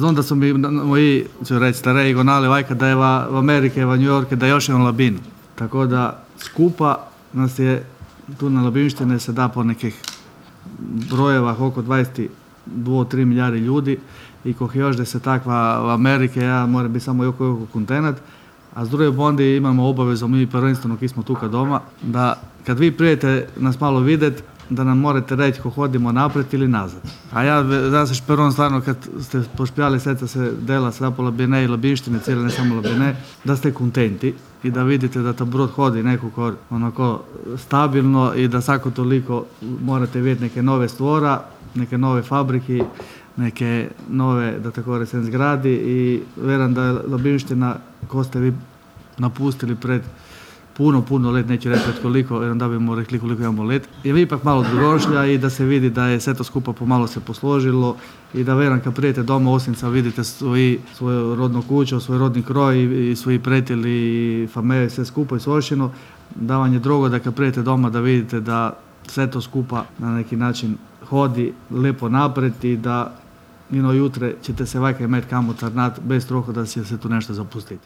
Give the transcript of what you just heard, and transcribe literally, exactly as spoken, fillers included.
Onda su mi moji, ću reći, stareji gonali vajka da je v Amerike, v New Yorke, da još je on labin. Tako da skupa nas je tu na labinštine se da po nekih brojevah oko dvadeset dva tri milijardi ljudi i koh još da se takva v Amerike, ja mora biti samo joko joko kontenat, a s druge bondi imamo obavezu mi prvenstveno ki smo tuka doma, da kad vi prijete nas malo videt, da nam morate reći ko hodimo napred ili nazad. A ja, da se šperom stvarno kad ste pošpijali seca se dela sada po labine i labinštine, cijele ne samo labine, da ste kontenti i da vidite da ta brod hodi nekako onako stabilno i da svako toliko morate vidjeti neke nove stvora, neke nove fabriki, neke nove, da tako rečem, zgradi i vjerujem da je labinština ko ste vi napustili pred puno, puno let, neću reći pred koliko, jer onda bimo rekli koliko imamo let, je ipak malo drugošlja i da se vidi da je sve to skupa pomalo se posložilo i da vjerujem kad prijete doma Osinca vidite svoji, svoju rodnu kuću, svoj rodni kroj i, i svoji prijatelji i familije, sve skupa i svošino, da vam je drugo da kad prijete doma da vidite da sve to skupa na neki način hodi lepo napred i da ino jutre ćete se vajka imati kamo tarnat bez troha da će se tu nešto zapustiti.